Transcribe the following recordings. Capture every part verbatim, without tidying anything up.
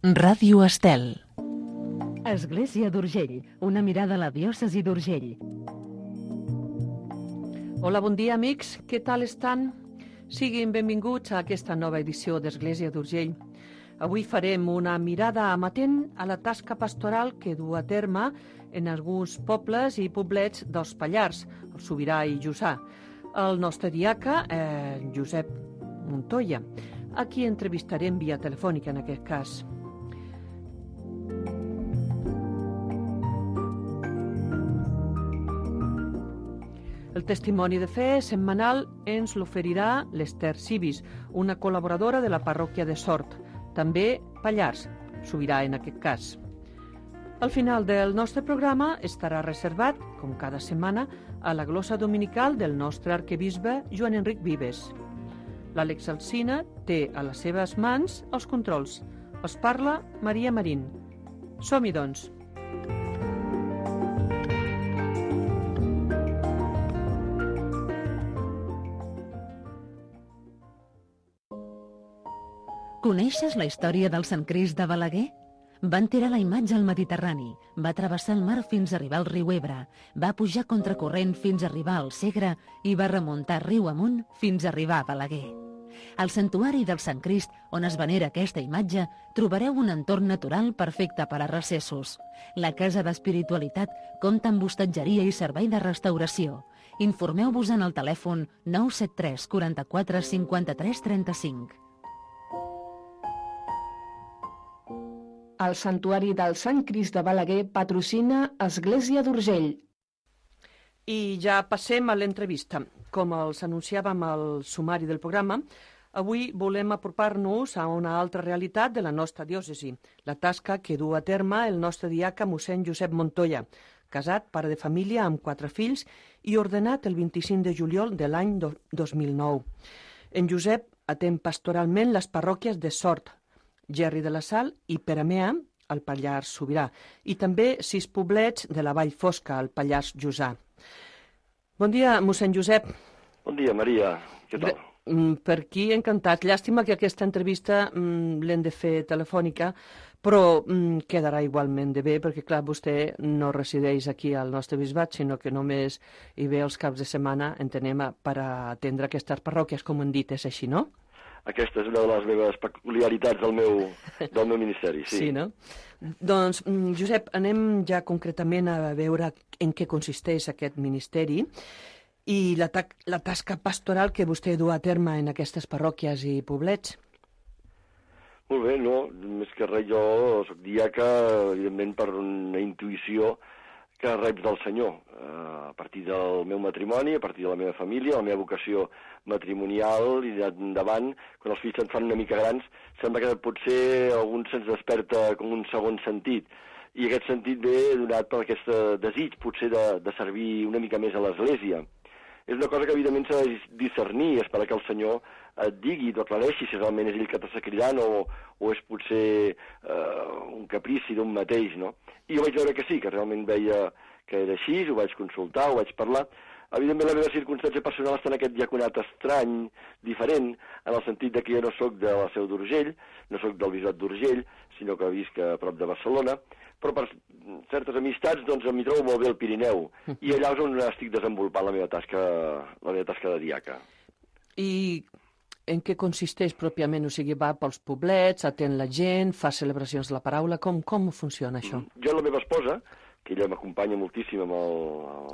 Ràdio Estel. Església d'Urgell, una mirada a la diòcesi d'Urgell. Hola, bon dia, amics. Què tal estan? Siguin benvinguts a aquesta nova edició d'Església d'Urgell. Avui farem una mirada amatent a la tasca pastoral que du a terme en alguns pobles i poblets dels Pallars, el Sobirà i Jussà. El nostre diaca, eh, Josep Montoya, a qui entrevistarem via telefònica en aquest cas. El testimoni de fe setmanal ens l'oferirà l'Ester Cibis, una col·laboradora de la parròquia de Sort, també Pallars, Sobirà en aquest cas. Al final del nostre programa estarà reservat, com cada setmana, a la glossa dominical del nostre arquebisbe Joan Enric Vives. L'Àlex Alsina té a les seves mans els controls. Els parla Maria Marín. Som-hi, doncs. Coneixes la història del Sant Crist de Balaguer? Van tirar la imatge al Mediterrani, va travessar el mar fins a arribar al riu Ebre, va pujar contracorrent fins a arribar al Segre i va remuntar riu amunt fins a arribar a Balaguer. Al santuari del Sant Crist, on es venera aquesta imatge, trobareu un entorn natural perfecte per a recessos. La Casa d'Espiritualitat compta amb hostatgeria i servei de restauració. Informeu-vos en el telèfon nou set tres quaranta-quatre cinquanta-tres trenta-cinc. El Santuari del Sant Crist de Balaguer patrocina Església d'Urgell. I ja passem a l'entrevista. Com els anunciàvem al sumari del programa, avui volem apropar-nos a una altra realitat de la nostra diòcesi, la tasca que du a terme el nostre diaca mossèn Josep Montoya, casat, pare de família, amb quatre fills i ordenat el vint-i-cinc de juliol de l'any dos mil nou. En Josep atén pastoralment les parròquies de Sort, Gerri de la Sal i Peramea, al Pallars Sobirà, i també sis poblets de la Vall Fosca, al Pallars Jussà. Bon dia, mossèn Josep. Bon dia, Maria. Què tal? Per aquí, encantat. Llàstima que aquesta entrevista mm, l'hem de fer telefònica, però mm, quedarà igualment de bé, perquè, clar, vostè no resideix aquí al nostre bisbat, sinó que només hi ve els caps de setmana, entenem, per atendre aquestes parròquies, com hem dit, és així, no? Aquesta és una de les meves peculiaritats del meu, del meu ministeri, sí. Sí, no? Doncs, Josep, anem ja concretament a veure en què consisteix aquest ministeri i la, ta la tasca pastoral que vostè du a terme en aquestes parròquies i poblets. Molt bé, no, més que res jo soc diaca, evidentment, per una intuïció que reps del Senyor, a partir del meu matrimoni, a partir de la meva família, la meva vocació matrimonial, i endavant, quan els fills se'n fan una mica grans, sembla que potser algun se'ns desperta com un segon sentit, i aquest sentit ve donat per aquest desig, potser, de, de servir una mica més a l'Església. És una cosa que, evidentment, s'ha de discernir, esperar que el Senyor et digui, t'ho aclareixi, si realment és ell que t'està cridant o, o és potser eh, un caprici d'un mateix, no? I jo vaig veure que sí, que realment veia que era així, ho vaig consultar, ho vaig parlar. Evidentment, la meva circumstància personal està en aquest diaconat estrany, diferent, en el sentit de que jo no sóc de la Seu d'Urgell, no sóc del bisbat d'Urgell, sinó que visc a prop de Barcelona, però per certes amistats doncs m'hi trobo molt bé al Pirineu, i allà és on estic desenvolupant la meva tasca, la meva tasca de diaca. I en què consisteix pròpiament? O sigui, va pels poblets, atén la gent, fa celebracions de la paraula, com, com funciona això? Jo i la meva esposa, que ella m'acompanya moltíssim amb, el,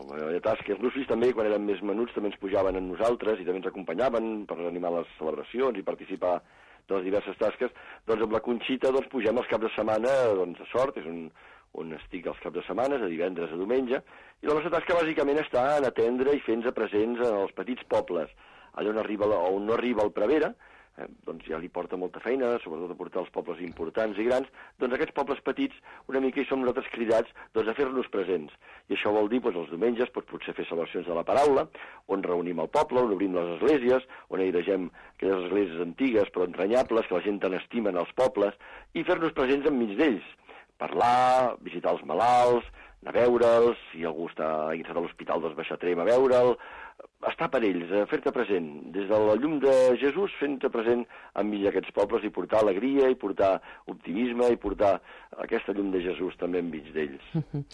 amb la meva tasca, i els meus fills també, quan eren més menuts, també ens pujaven amb nosaltres i també ens acompanyaven per animar les celebracions i participar de les diverses tasques, doncs amb la Conxita doncs, pugem els caps de setmana doncs, a Sort, és un, on estic els caps de setmana, de divendres a diumenge, i la nostra tasca bàsicament està en atendre i fer-nos presents en els petits pobles, allà on, arriba, on no arriba el prevere, eh, doncs ja li porta molta feina, sobretot a portar els pobles importants i grans, doncs aquests pobles petits una mica hi som nosaltres cridats doncs, a fer-nos presents. I això vol dir doncs, els diumenges doncs, potser fer celebracions de la paraula, on reunim el poble, on obrim les esglésies, on airegem aquelles esglésies antigues però entranyables, que la gent tan estima en els pobles, i fer-nos presents enmig d'ells. parlar, visitar els malalts, anar a veure'ls, si algú està ingressat a l'hospital, doncs baixar a Trem a veure'l, estar per ells, fer-te present, des de la llum de Jesús, fent-te present enmig d'aquests pobles i portar alegria, i portar optimisme, i portar aquesta llum de Jesús també enmig d'ells. Uh-huh.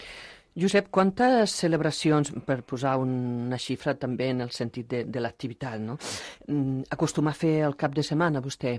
Josep, quantes celebracions, per posar una xifra també en el sentit de, de l'activitat, no? acostuma a fer el cap de setmana vostè?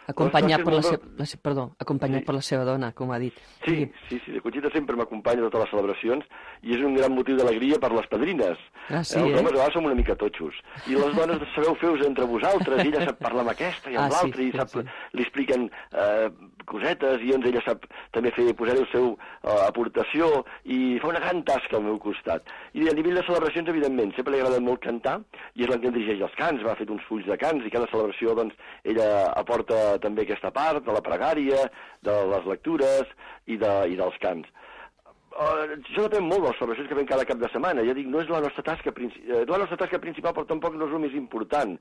Acompanyat, per la, se... la se... Perdó, acompanyat sí. per la seva dona, com ha dit. Sí, sí, sí, la Conxita sempre m'acompanya a totes les celebracions i és un gran motiu d'alegria per les padrines. Ah, sí, els eh? homes a vegades som una mica totxos. I les dones sabeu fer-vos entre vosaltres, i ella sap parlar amb aquesta i amb ah, l'altra, sí, i sap, sí, sí. li expliquen eh, cosetes, i doncs ella sap també fer, posar-hi el seu eh, aportació, i fa una gran tasca al meu costat. I a nivell de celebracions, evidentment, sempre li agrada molt cantar, i és la que dirigeix els cants, va fet uns fulls de cants, i cada celebració, doncs, ella aporta també aquesta part de la pregària, de les lectures i, de, i dels cants. Uh, això depèn molt de les celebracions que fem cada cap de setmana. Ja dic, no és la nostra tasca, princi uh, la nostra tasca principal, però tampoc no és el més important.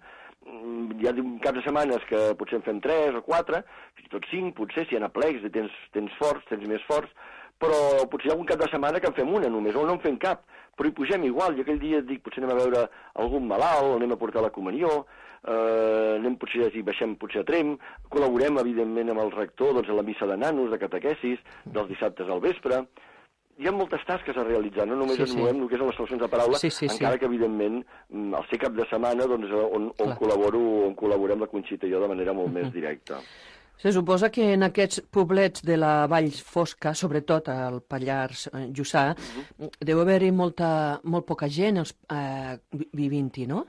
Mm, hi ha caps de setmanes que potser en fem tres o quatre, fins i tot cinc, potser, si hi ha aplecs, tens, tens forts, tens més forts, però potser hi ha algun cap de setmana que en fem una només, o no en fem cap, però hi pugem igual. I aquell dia dic, potser anem a veure algun malalt, anem a portar la comunió, Uh, anem potser, si baixem potser a Trem, col·laborem evidentment amb el rector, doncs, a la missa de nanos, de catequesis, dels dissabtes al vespre. Hi ha moltes tasques a realitzar, no només sí, ens movem sí. el que són les solucions de paraula, sí, sí, encara sí. que evidentment al ser cap de setmana doncs, on, on, col·laboro, on col·laborem la Conxita i jo de manera molt uh-huh. més directa. Se suposa que en aquests poblets de la Vall Fosca, sobretot al Pallars Jussà, uh-huh. deu haver-hi molta, molt poca gent els, eh, vivint-hi, no?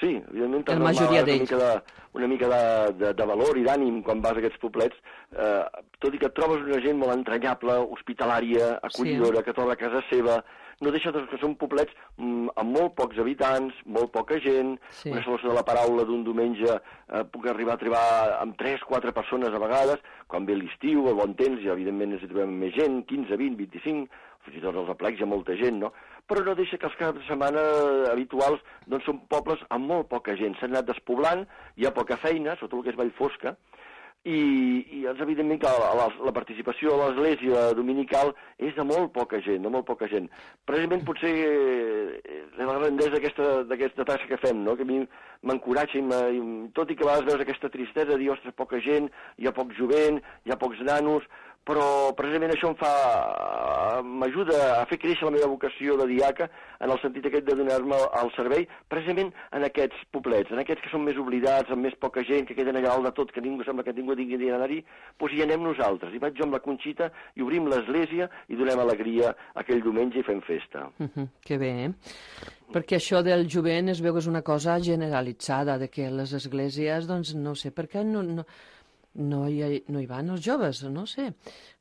Sí, evidentment, la majoria una mica, de, una mica de, de, de valor i d'ànim quan vas a aquests poblets, eh, tot i que et trobes una gent molt entranyable, hospitalària, acollidora, sí. que troba a casa seva, no deixa que són poblets mm, amb molt pocs habitants, molt poca gent, sí. una solució de la paraula d'un diumenge eh, puc arribar a trobar amb tres, quatre persones a vegades, quan ve l'estiu, el bon temps, i evidentment ens hi trobem més gent, quinze, vint, vint-i-cinc, fins i tot als aplecs hi ha molta gent, no? Però no deixa que els caps de setmana habituals doncs són pobles amb molt poca gent. S'han anat despoblant, hi ha poca feina, sobretot el que és Vall Fosca, i, i doncs, evidentment que la, la, la participació a l'església dominical és de molt poca gent, de molt poca gent. Precisament potser eh, la grandesa d'aquesta tasca que fem, no? Que a mi m'encoratja, i, i tot i que a vegades veus aquesta tristesa de dir, ostres, poca gent, hi ha poc jovent, hi ha pocs nanos, però precisament això em fa, m'ajuda a fer créixer la meva vocació de diaca en el sentit aquest de donar-me el servei precisament en aquests poblets, en aquests que són més oblidats, amb més poca gent, que queden allà dalt de tot, que ningú sembla que ningú tingui d'anar-hi, doncs hi anem nosaltres. I vaig jo amb la Conxita i obrim l'església i donem alegria aquell diumenge i fem festa. Uh -huh, que bé, eh? Perquè això del jovent es veu que és una cosa generalitzada, de que les esglésies, doncs no sé, per què no... no... No hi, no hi van els joves, no sé.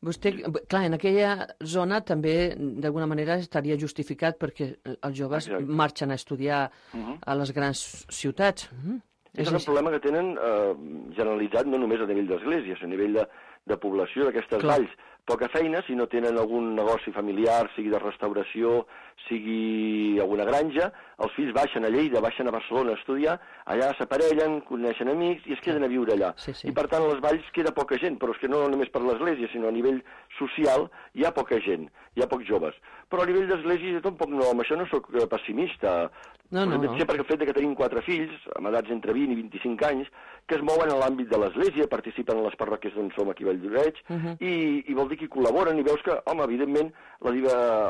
Vostè, clar, en aquella zona també, d'alguna manera, estaria justificat perquè els joves Exacte. marxen a estudiar uh-huh. a les grans ciutats. Uh-huh. És, és un problema que tenen eh, generalitzat no només a nivell d'esglésies, a nivell de, de població d'aquestes valls. Poca feina, si no tenen algun negoci familiar, sigui de restauració, sigui alguna granja, els fills baixen a Lleida, baixen a Barcelona a estudiar, allà s'aparellen, coneixen amics i es queden a viure allà. Sí, sí. I per tant a les valls queda poca gent, però és que no només per l'església, sinó a nivell social hi ha poca gent, hi ha pocs joves. Però a nivell d'església jo tampoc no, amb això no sóc pessimista. No, no, no. Sempre el fet que tenim quatre fills, amb edats entre vint i vint-i-cinc anys, que es mouen en l'àmbit de l'església, participen en les parròquies d'on som aquí a Valldoreix, uh-huh. i, i vol dir que hi col·laboren, i veus que, home, evidentment, la,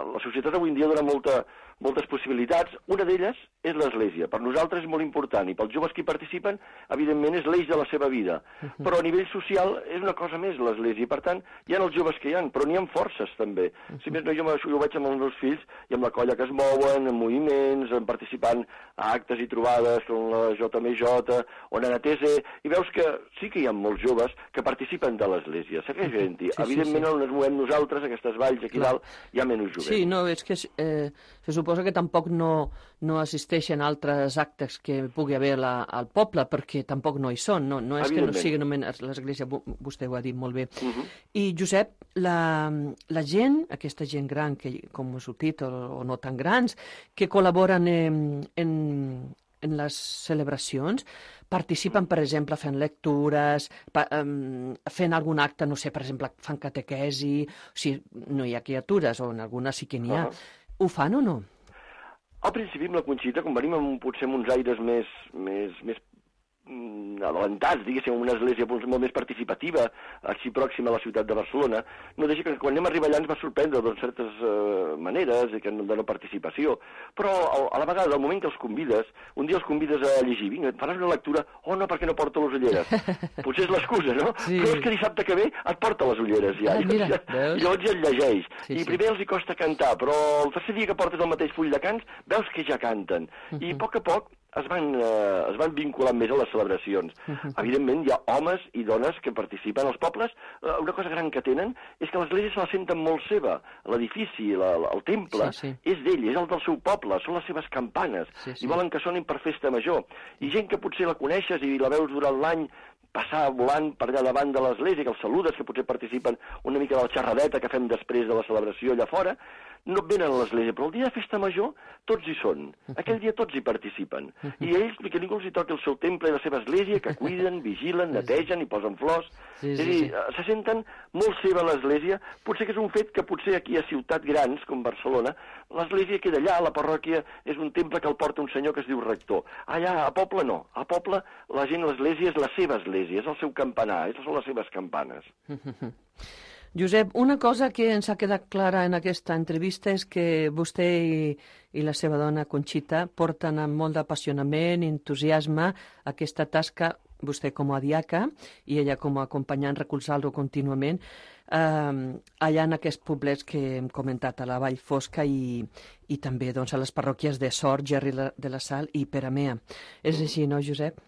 la societat avui en dia dona molta, moltes possibilitats. Una d'elles és l'església. Per nosaltres és molt important, i pels joves que hi participen, evidentment, és l'eix de la seva vida. Uh-huh. Però a nivell social és una cosa més, l'església, i per tant, hi ha els joves que hi ha, però n'hi ha forces, també. Uh-huh. Si més no, jo, jo ho veig amb els meus fills, i amb la colla que es mouen, en moviments, en participant a actes i trobades, com la J M J, o en A T C, i veus que sí que hi ha molts joves que participen de l'església. Segueix havent-hi. Sí, evidentment, sí, sí. on ens movem nosaltres, aquestes valls aquí Clar. dalt, hi ha menys jovents. Sí, no, és que eh, se suposa que tampoc no, no assisteixen a altres actes que pugui haver la, al poble, perquè tampoc no hi són. No, no és que no sigui només l'església, vostè ho ha dit molt bé. Uh-huh. I, Josep, la, la gent, aquesta gent gran, que, com us heu dit, o, o no tan grans, que col·laboren en, en, en les celebracions participen, per exemple, fent lectures, pa, um, fent algun acte, no sé, per exemple, fan catequesi, o sigui, no hi ha criatures, o en algunes sí que n'hi ha. Uh-huh. Ho fan o no? Al principi amb la Conxita, com venim amb, potser amb uns aires més, més, més adelantats, diguéssim, una església molt més participativa, així pròxima a la ciutat de Barcelona, no deixa que quan anem a arribar allà ens va sorprendre de certes uh, maneres i que de no participació, però a la vegada, al moment que els convides, un dia els convides a llegir, vinga, faràs una lectura, oh no, perquè no porta les ulleres. Potser és l'excusa, no? Sí. Però és que dissabte que ve et porta les ulleres ja, ah, mira, ja i llavors ja et llegeix. Sí, I sí. primer els hi costa cantar, però el tercer dia que portes el mateix full de cants, veus que ja canten. Uh-huh. I a poc a poc es van, eh, es van vinculant més a les celebracions. Uh-huh. Evidentment, hi ha homes i dones que participen. Els pobles, eh, una cosa gran que tenen és que l'església se la senten molt seva. L'edifici, la, el temple, sí, sí. és d'ell, és el del seu poble, són les seves campanes, sí, sí. i volen que sonin per festa major. I gent que potser la coneixes i la veus durant l'any passar volant per allà davant de l'església, que els saludes, que potser participen una mica de la xerradeta que fem després de la celebració allà fora, no venen a l'església, però el dia de festa major tots hi són. Aquell dia tots hi participen. I ells, que ningú els hi toqui el seu temple i la seva església, que cuiden, vigilen, netegen i posen flors. Sí, sí, és a dir, sí. se senten molt seva l'església. Potser que és un fet que potser aquí a ciutats grans, com Barcelona, l'església queda allà, la parròquia és un temple que el porta un senyor que es diu rector. Allà, a poble no. A poble la gent, l'església és la seva església, és el seu campanar, són les seves campanes. Josep, una cosa que ens ha quedat clara en aquesta entrevista és que vostè i, i la seva dona Conxita porten amb molt d'apassionament i entusiasme aquesta tasca, vostè com a diaca i ella com a acompanyant recolzant-lo contínuament, eh, allà en aquests poblets que hem comentat, a la Vall Fosca i, i també doncs, a les parròquies de Sort, Gerri de la Sal i Peramea. És així, no, Josep?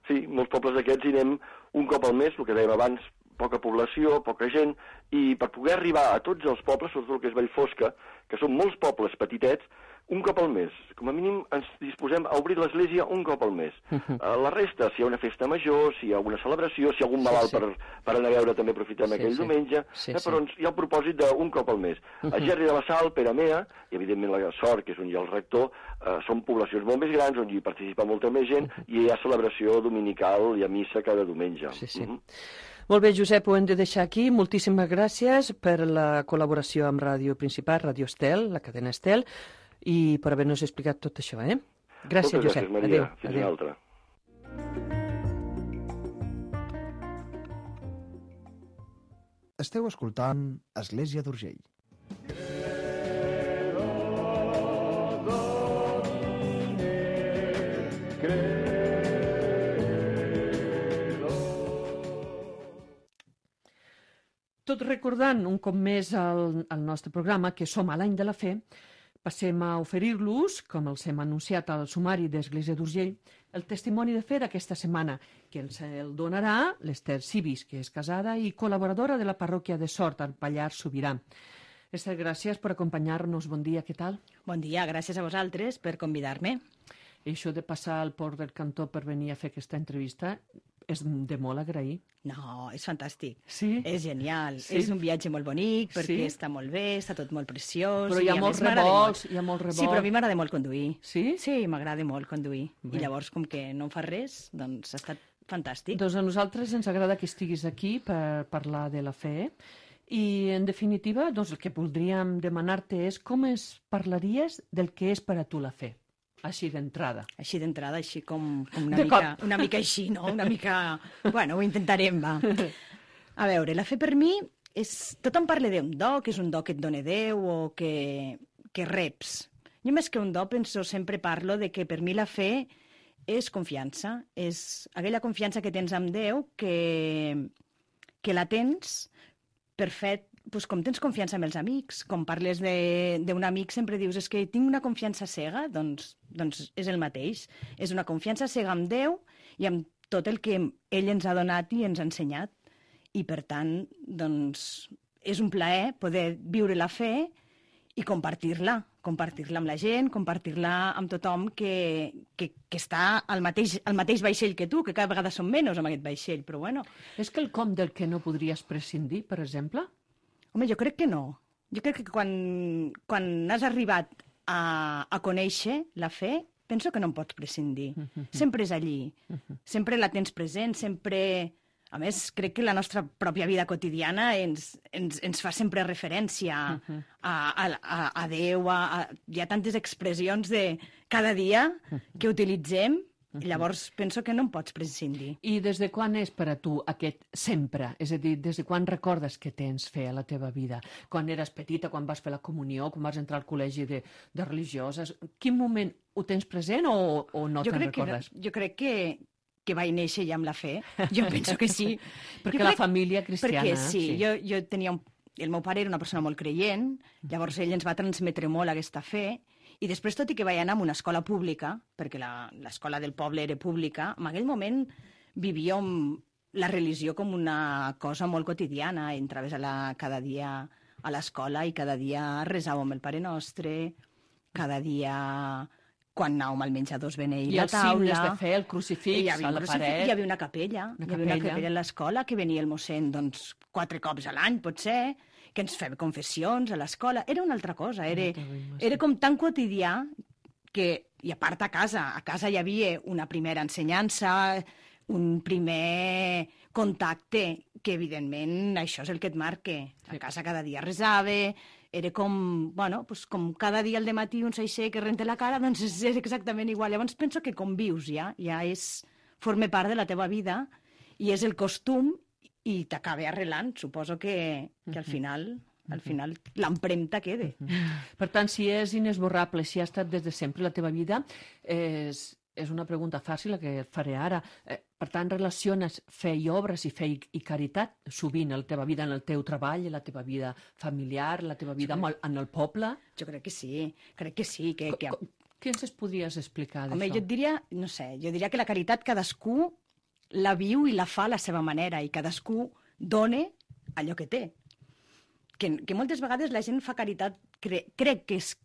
Sí, molts pobles d'aquests hi anem un cop al mes, el que dèiem abans, poca població, poca gent, i per poder arribar a tots els pobles, sobretot el que és Vallfosca, que són molts pobles petitets, un cop al mes. Com a mínim ens disposem a obrir l'església un cop al mes. Uh-huh. uh, la resta, si hi ha una festa major, si hi ha alguna celebració, si hi ha algun malalt sí, sí. Per, per anar a veure, també aprofitem sí, aquell sí. diumenge, sí, eh, però sí. hi ha el propòsit d'un cop al mes. Uh-huh. A Gerri de la Sal, Peramea, i evidentment la Sort, que és on hi ha el rector, uh, són poblacions molt més grans, on hi participa molta més gent, uh-huh. i hi ha celebració dominical, hi ha missa cada diumenge. Sí, sí. Uh-huh. Molt bé, Josep, ho hem de deixar aquí. Moltíssimes gràcies per la col·laboració amb Ràdio Principat, Ràdio Estel, la cadena Estel, i per haver-nos explicat tot això, eh? Gràcies, Moltes Josep. Gràcies, Maria. Adéu. Fins una altra. Esteu escoltant Església d'Urgell. Tot recordant un cop més el, el nostre programa, que som a l'any de la fe, passem a oferir-los, com els hem anunciat al sumari d'Església d'Urgell, el testimoni de fe d'aquesta setmana, que ens el donarà l'Ester Cibis, que és casada i col·laboradora de la parròquia de Sort, al Pallars Sobirà. Ester, gràcies per acompanyar-nos. Bon dia, què tal? Bon dia, gràcies a vosaltres per convidar-me. I això de passar al Port del Cantó per venir a fer aquesta entrevista és de molt agrair. No, és fantàstic. Sí? És genial. Sí? És un viatge molt bonic perquè sí? està molt bé, està tot molt preciós. Però hi ha molts revolts, hi ha molt revolts. Sí, però a mi m'agrada molt conduir. Sí? Sí, m'agrada molt conduir. Bé. I llavors, com que no em fa res, doncs ha estat fantàstic. Doncs a nosaltres ens agrada que estiguis aquí per parlar de la fe. I, en definitiva, doncs el que voldríem demanar-te és com es parlaries del que és per a tu la fe. Així d'entrada. Així d'entrada, així com, com una, mica, una mica així, no? Una mica... Bueno, ho intentarem, va. A veure, la fe per mi és... Tothom parla d'un do, que és un do que et dona Déu o que, que reps. Jo més que un do penso, sempre parlo de que per mi la fe és confiança. És aquella confiança que tens amb Déu que, que la tens per fet pues, com tens confiança amb els amics, com parles d'un amic sempre dius és que tinc una confiança cega, doncs, doncs és el mateix. És una confiança cega amb Déu i amb tot el que ell ens ha donat i ens ha ensenyat. I per tant, doncs, és un plaer poder viure la fe i compartir-la, compartir-la amb la gent, compartir-la amb tothom que, que, que està al mateix, al mateix vaixell que tu, que cada vegada som menys amb aquest vaixell, però bueno. És quelcom del que no podries prescindir, per exemple? Home, jo crec que no. Jo crec que quan, quan has arribat a, a conèixer la fe, penso que no en pots prescindir. Uh -huh. Sempre és allí, uh -huh. sempre la tens present, sempre... A més, crec que la nostra pròpia vida quotidiana ens, ens, ens fa sempre referència uh -huh. a, a, a, a Déu, a, a, hi ha tantes expressions de cada dia que utilitzem, uh -huh. llavors penso que no en pots prescindir. I des de quan és per a tu aquest sempre? És a dir, des de quan recordes que tens fe a la teva vida? Quan eres petita, quan vas fer la comunió, quan vas entrar al col·legi de, de religioses? Quin moment ho tens present o, o no te'n recordes? Que, jo crec que que vaig néixer ja amb la fe. Jo penso que sí. Perquè crec, la família cristiana... Perquè sí, sí. Jo, jo tenia un... El meu pare era una persona molt creient, llavors ell ens va transmetre molt aquesta fe, i després, tot i que vaig anar a una escola pública, perquè l'escola del poble era pública, en aquell moment vivíem la religió com una cosa molt quotidiana. Entraves a la, cada dia a l'escola i cada dia resàvem el Pare Nostre, cada dia... quan anàvem al menjador es beneïa la taula. I els signes de fe, el crucifix a la paret. Hi havia una capella, una hi havia una capella a l'escola, que venia el mossèn doncs, quatre cops a l'any, potser, que ens feia confessions a l'escola. Era una altra cosa, era, era com tan quotidià que, i a part a casa, a casa hi havia una primera ensenyança, un primer contacte, que evidentment això és el que et marca. A casa cada dia resava, era com, bueno, pues com cada dia al dematí un s'aixeca que renta la cara, doncs és exactament igual. Llavors penso que convius ja, ja és, forma part de la teva vida i és el costum i t'acaba arrelant. Suposo que, que al final, al final l'empremta queda. Per tant, si és inesborrable, si ha estat des de sempre la teva vida, és... és una pregunta fàcil la que et faré ara. Eh, per tant, relaciones fe i obres i fe i, i caritat sovint en la teva vida, en el teu treball, en la teva vida familiar, en la teva vida crec... en el poble? Jo crec que sí, crec que sí. Que, que... Què ens podries explicar d'això? Home, jo et diria, no sé, jo diria que la caritat cadascú la viu i la fa a la seva manera i cadascú dona allò que té. Que, que moltes vegades la gent fa caritat, cre, crec que, és,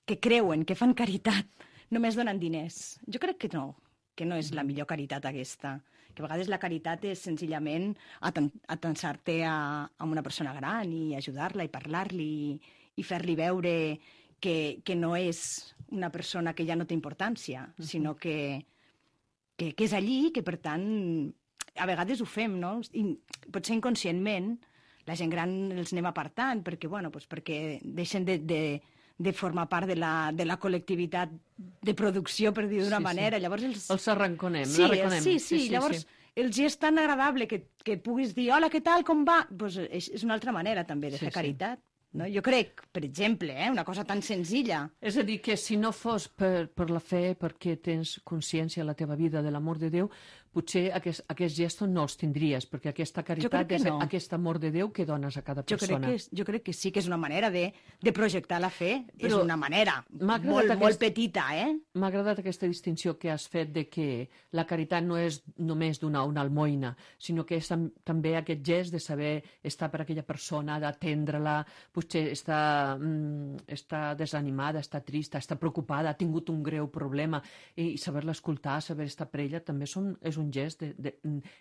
que creuen que fan caritat només donen diners. Jo crec que no, que no és la millor caritat aquesta. Que a vegades la caritat és senzillament atensar-te a, a una persona gran i ajudar-la i parlar-li i, i fer-li veure que, que no és una persona que ja no té importància, uh-huh. sinó que, que, que és allí, que per tant a vegades ho fem, no? I, potser inconscientment la gent gran els anem apartant perquè, bueno, doncs perquè deixen de... de de formar part de la, de la col·lectivitat de producció, per dir d'una sí, manera. Sí. Llavors els... Els arranconem, sí, l'arraconem. Sí, sí, sí, sí, llavors sí. Els hi és tan agradable que, que puguis dir hola, què tal, com va? Pues és, és una altra manera també de sí, fer caritat. Sí. No? Jo crec, per exemple, eh, una cosa tan senzilla. És a dir, que si no fos per, per la fe, perquè tens consciència a la teva vida de l'amor de Déu, potser aquest, aquests gestos no els tindries, perquè aquesta caritat és no. aquest amor de Déu que dones a cada persona. Jo crec que, jo crec que sí que és una manera de, de projectar la fe. Però és una manera molt, aquest, molt petita, eh? M'ha agradat aquesta distinció que has fet de que la caritat no és només donar una almoina, sinó que és també aquest gest de saber estar per aquella persona, d'atendre-la, potser està, mm, està desanimada, està trista, està preocupada, ha tingut un greu problema, i saber-la escoltar, saber estar per ella, també són, és un gest de, de,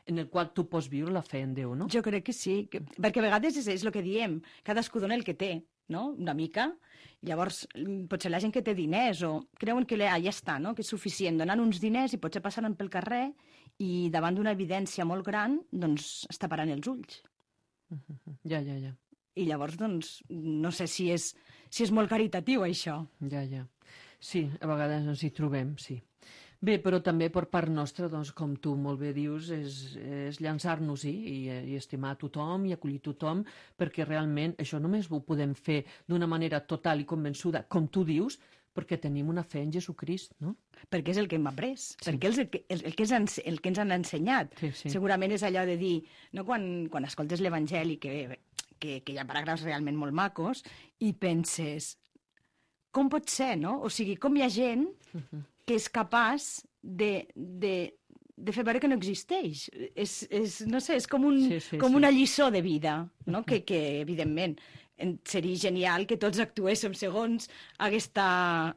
en el qual tu pots viure la fe en Déu, no? Jo crec que sí, que, perquè a vegades és, és el que diem, cadascú dona el que té, no? Una mica. Llavors, potser la gent que té diners o creuen que ja està, no? Que és suficient, donant uns diners i potser passaran pel carrer i davant d'una evidència molt gran, doncs es taparan els ulls. Ja, ja, ja. I llavors, doncs, no sé si és, si és molt caritatiu, això. Ja, ja. Sí, a vegades ens hi trobem, sí. Bé, però també per part nostra, doncs, com tu molt bé dius, és, és llançar-nos-hi i, i estimar a tothom i acollir tothom, perquè realment això només ho podem fer d'una manera total i convençuda, com tu dius, perquè tenim una fe en Jesucrist, no? Perquè és el que hem après, sí. perquè és el que, el, el, que és, el que ens han ensenyat. Sí, sí. Segurament és allò de dir, no, quan, quan escoltes l'Evangeli, que, que, que hi ha paràgrafs realment molt macos, i penses, com pot ser, no? O sigui, com hi ha gent que és capaç de, de, de fer veure que no existeix. És, és, no sé, és com, un, sí, sí, com sí. una lliçó de vida, no? que, que, evidentment, seria genial que tots actuéssim segons aquesta,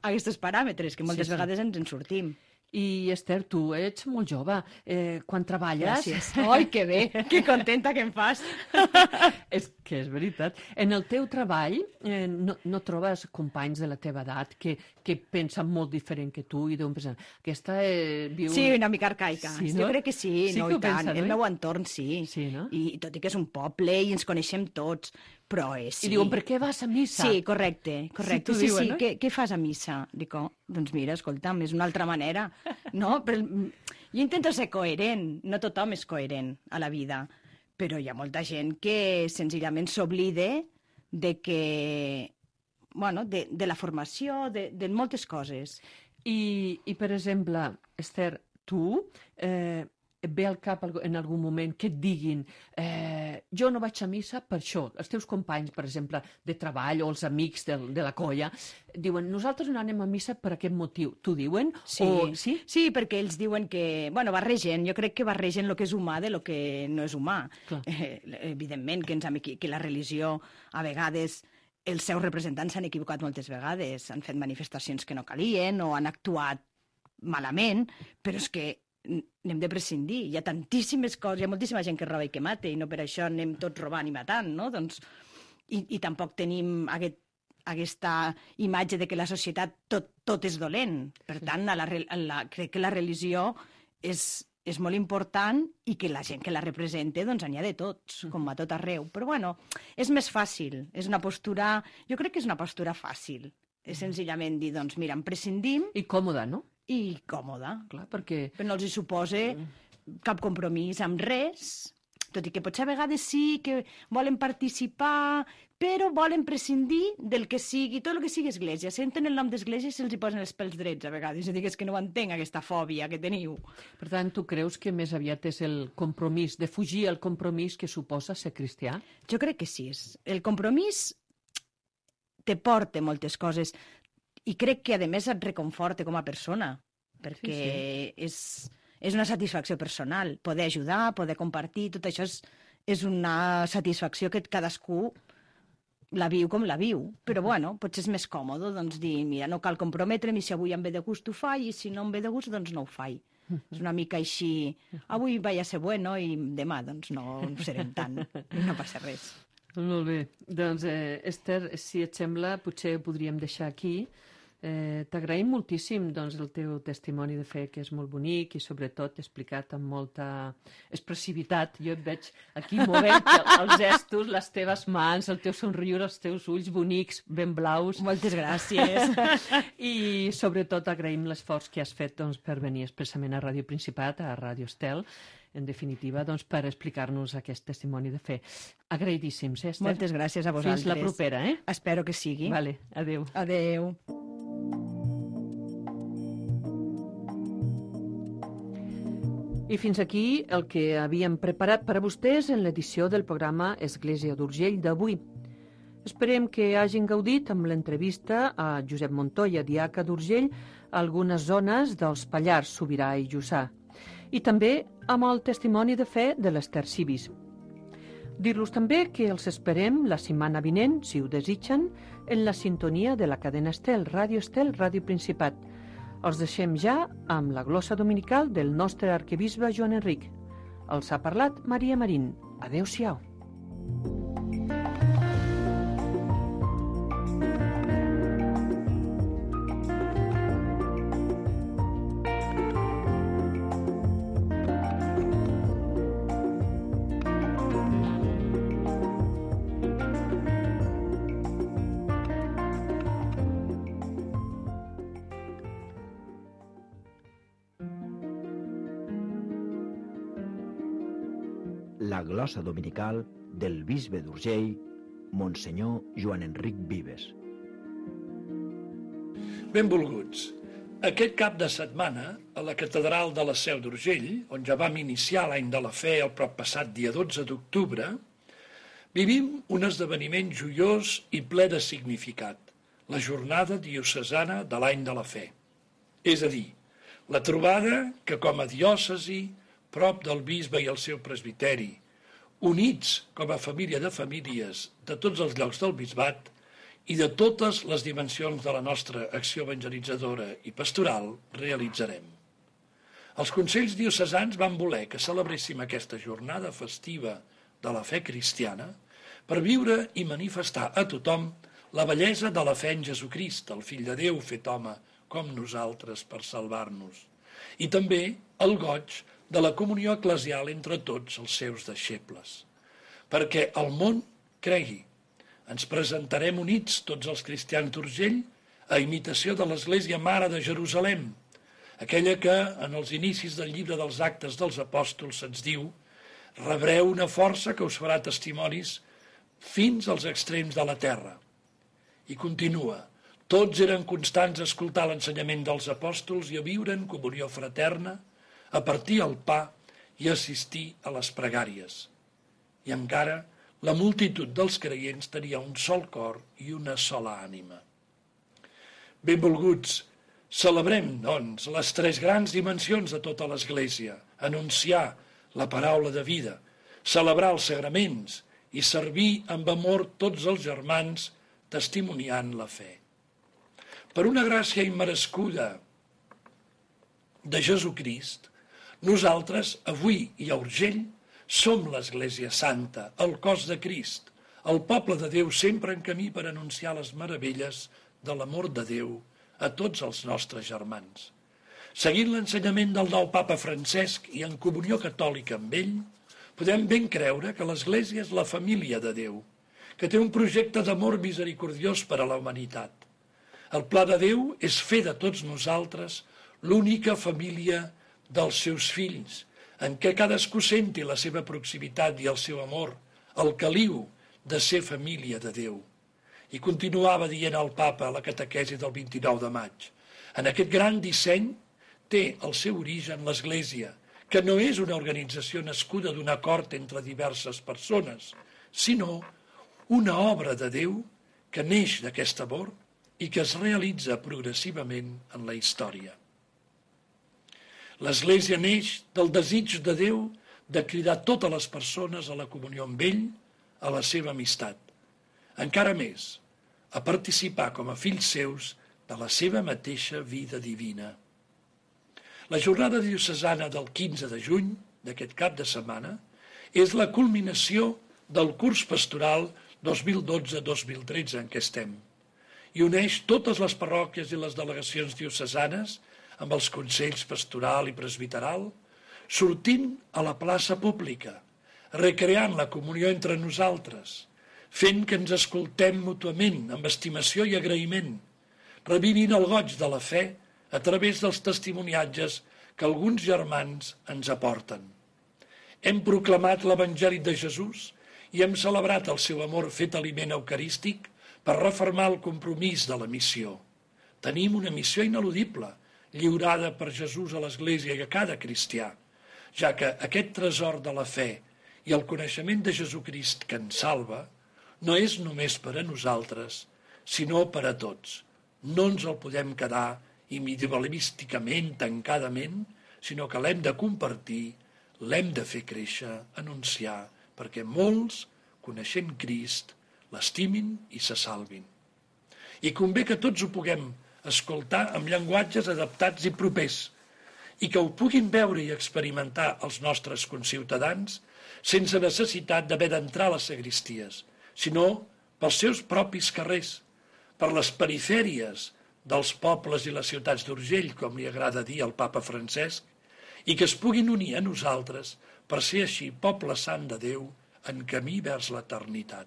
aquests paràmetres, que moltes sí, sí. vegades ens en sortim. I, Esther, tu ets molt jove. Eh, quan treballes... Gràcies. Ai, que bé, que contenta que em fas. És que és veritat. En el teu treball eh, no, no trobes companys de la teva edat que, que pensen molt diferent que tu i deuen pensar, aquesta eh, viu... Sí, una mica arcaica. Sí, no? Jo crec que sí, Sí no, que ho i tant. pensen, El oi? meu entorn, sí. Sí, no? I tot i que és un poble i ens coneixem tots, però és... Sí. I diuen, per què vas a missa? Sí, correcte, correcte. t'ho Sí, diuen, sí, no? què, què fas a missa? Dic, oh, doncs mira, escolta'm, és una altra manera, no? Però, jo intento ser coherent, no tothom és coherent a la vida, però hi ha molta gent que senzillament s'oblida de que, bueno, de, de la formació, de, de moltes coses. I, I, per exemple, Esther, tu... Eh, et ve al cap en algun moment que et diguin eh, jo no vaig a missa per això. Els teus companys, per exemple, de treball o els amics de, de la colla, diuen nosaltres no anem a missa per aquest motiu. T'ho diuen? Sí. O, sí? Sí, perquè ells diuen que... Bueno, barregen. Jo crec que barregen el que és humà de lo que no és humà. Eh, evidentment que, ens hem, que la religió, a vegades, els seus representants s'han equivocat moltes vegades. Han fet manifestacions que no calien o han actuat malament, però és que n'hem de prescindir. Hi ha tantíssimes coses, hi ha moltíssima gent que roba i que mata, i no per això anem tots robant i matant, no? Doncs, i, i tampoc tenim aquest, aquesta imatge de que la societat tot, tot és dolent. Per tant, a la, a la, crec que la religió és, és molt important i que la gent que la representa, doncs n'hi ha de tots, com a tot arreu. Però bueno, és més fàcil, és una postura... Jo crec que és una postura fàcil. És senzillament dir, doncs mira, en prescindim... I còmoda, no? I còmoda. Clar, perquè... Però no els hi suposa cap compromís amb res, tot i que potser a vegades sí que volen participar, però volen prescindir del que sigui, tot el que sigui església. Senten el nom d'església i se'ls hi posen els pèls drets a vegades. Jo dic, és que no ho entenc, aquesta fòbia que teniu. Per tant, tu creus que més aviat és el compromís, de fugir el compromís que suposa ser cristià? Jo crec que sí. El compromís te porta moltes coses i crec que, a més, et reconforta com a persona, perquè sí, sí. És, és una satisfacció personal. Poder ajudar, poder compartir, tot això és, és una satisfacció que cadascú la viu com la viu. Però, bueno, potser és més còmode doncs, dir, mira, no cal comprometre'm i si avui em ve de gust ho faig i si no em ve de gust, doncs no ho faig. És una mica així, avui vaig a ser bueno i demà doncs no, no serem tant, no passa res. Molt bé. Doncs, eh, Esther, si et sembla, potser ho podríem deixar aquí. Eh, T'agraïm moltíssim doncs, el teu testimoni de fe, que és molt bonic i sobretot explicat amb molta expressivitat. Jo et veig aquí movent els gestos, les teves mans, el teu somriure, els teus ulls bonics, ben blaus. Moltes gràcies. I sobretot agraïm l'esforç que has fet doncs, per venir expressament a Ràdio Principat, a Ràdio Estel, en definitiva, doncs, per explicar-nos aquest testimoni de fe. Agraïdíssims, eh, Esther? Moltes gràcies a vosaltres. Fins la propera, eh? Espero que sigui. Vale, adéu. Adéu. I fins aquí el que havíem preparat per a vostès en l'edició del programa Església d'Urgell d'avui. Esperem que hagin gaudit amb l'entrevista a Josep Montoya, diaca d'Urgell, a algunes zones dels Pallars, Sobirà i Jussà, i també amb el testimoni de fe de l'Ester Cibis. Dir-los també que els esperem la setmana vinent, si ho desitgen, en la sintonia de la cadena Estel, Ràdio Estel, Ràdio Principat. Els deixem ja amb la glossa dominical del nostre arquebisbe Joan Enric. Els ha parlat Maria Marín. Adéu-siau. La glossa dominical del bisbe d'Urgell, Monsenyor Joan Enric Vives. Benvolguts. Aquest cap de setmana, a la Catedral de la Seu d'Urgell, on ja vam iniciar l'any de la fe el proppassat dia dotze d'octubre, vivim un esdeveniment joiós i ple de significat, la jornada diocesana de l'any de la fe. És a dir, la trobada que com a diòcesi, prop del bisbe i el seu presbiteri, units com a família de famílies de tots els llocs del bisbat i de totes les dimensions de la nostra acció evangelitzadora i pastoral, realitzarem. Els consells diocesans van voler que celebréssim aquesta jornada festiva de la fe cristiana per viure i manifestar a tothom la bellesa de la fe en Jesucrist, el Fill de Déu fet home com nosaltres per salvar-nos, i també el goig de la comunió eclesial entre tots els seus deixebles. Perquè el món cregui. Ens presentarem units tots els cristians d'Urgell a imitació de l'Església Mare de Jerusalem, aquella que en els inicis del llibre dels Actes dels Apòstols se'ns diu: rebreu una força que us farà testimonis fins als extrems de la terra. I continua: tots eren constants a escoltar l'ensenyament dels apòstols i a viure en comunió fraterna, a partir el pa i a assistir a les pregàries. I encara la multitud dels creients tenia un sol cor i una sola ànima. Benvolguts, celebrem, doncs, les tres grans dimensions de tota l'Església: anunciar la paraula de vida, celebrar els sagraments i servir amb amor tots els germans, testimoniant la fe. Per una gràcia immerescuda de Jesucrist, nosaltres, avui i a Urgell, som l'Església Santa, el cos de Crist, el poble de Déu sempre en camí per anunciar les meravelles de l'amor de Déu a tots els nostres germans. Seguint l'ensenyament del nou papa Francesc i en comunió catòlica amb ell, podem ben creure que l'Església és la família de Déu, que té un projecte d'amor misericordiós per a la humanitat. El pla de Déu és fer de tots nosaltres l'única família dels seus fills, en què cadascú senti la seva proximitat i el seu amor, el caliu de ser família de Déu. I continuava dient el papa a la catequesi del vint-i-nou de maig: en aquest gran disseny té el seu origen l'Església, que no és una organització nascuda d'un acord entre diverses persones, sinó una obra de Déu que neix d'aquest amor i que es realitza progressivament en la història. L'Església neix del desig de Déu de cridar totes les persones a la comunió amb ell, a la seva amistat. Encara més, a participar com a fills seus de la seva mateixa vida divina. La jornada diocesana del quinze de juny, d'aquest cap de setmana, és la culminació del curs pastoral dos mil dotze dos mil tretze en què estem, i uneix totes les parròquies i les delegacions diocesanes amb els consells pastoral i presbiteral, sortint a la plaça pública, recreant la comunió entre nosaltres, fent que ens escoltem mútuament amb estimació i agraïment, revivint el goig de la fe a través dels testimoniatges que alguns germans ens aporten. Hem proclamat l'Evangeli de Jesús i hem celebrat el seu amor fet aliment eucarístic per refermar el compromís de la missió. Tenim una missió ineludible, lliurada per Jesús a l'Església i a cada cristià, ja que aquest tresor de la fe i el coneixement de Jesucrist que ens salva no és només per a nosaltres, sinó per a tots. No ens el podem quedar individualísticament, tancadament, sinó que l'hem de compartir, l'hem de fer créixer, anunciar, perquè molts, coneixent Crist, l'estimin i se salvin. I convé que tots ho puguem escoltar amb llenguatges adaptats i propers, i que ho puguin veure i experimentar els nostres conciutadans sense necessitat d'haver d'entrar a les sagristies, sinó pels seus propis carrers, per les perifèries dels pobles i les ciutats d'Urgell, com li agrada dir al papa Francesc, i que es puguin unir a nosaltres per ser així poble sant de Déu en camí vers l'eternitat.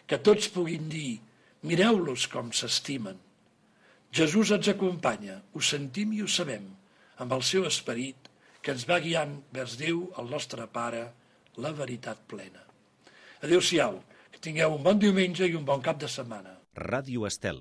Que tots puguin dir: mireu-los com s'estimen. Jesús ens acompanya, ho sentim i ho sabem, amb el seu esperit que ens va guiant vers Déu, el nostre Pare, la veritat plena. Adéu-siau, que tingueu un bon diumenge i un bon cap de setmana. Ràdio Estel.